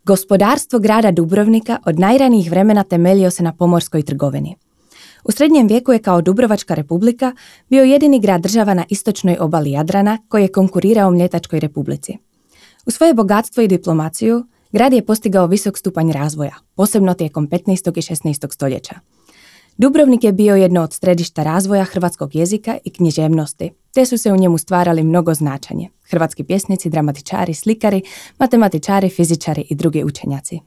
Gospodarstvo grada Dubrovnika od najranijih vremena temeljio se na pomorskoj trgovini. U srednjem vijeku je kao Dubrovačka republika bio jedini grad država na istočnoj obali Jadrana koji je konkurirao Mljetačkoj republici. U svoje bogatstvo i diplomaciju grad je postigao visok stupanj razvoja, posebno tijekom 15. i 16. stoljeća. Dubrovnik je bio jedno od središta razvoja hrvatskog jezika i književnosti, te su se u njemu stvarali mnogo značanje. Hrvatski pjesnici, dramatičari, slikari, matematičari, fizičari i drugi učenjaci.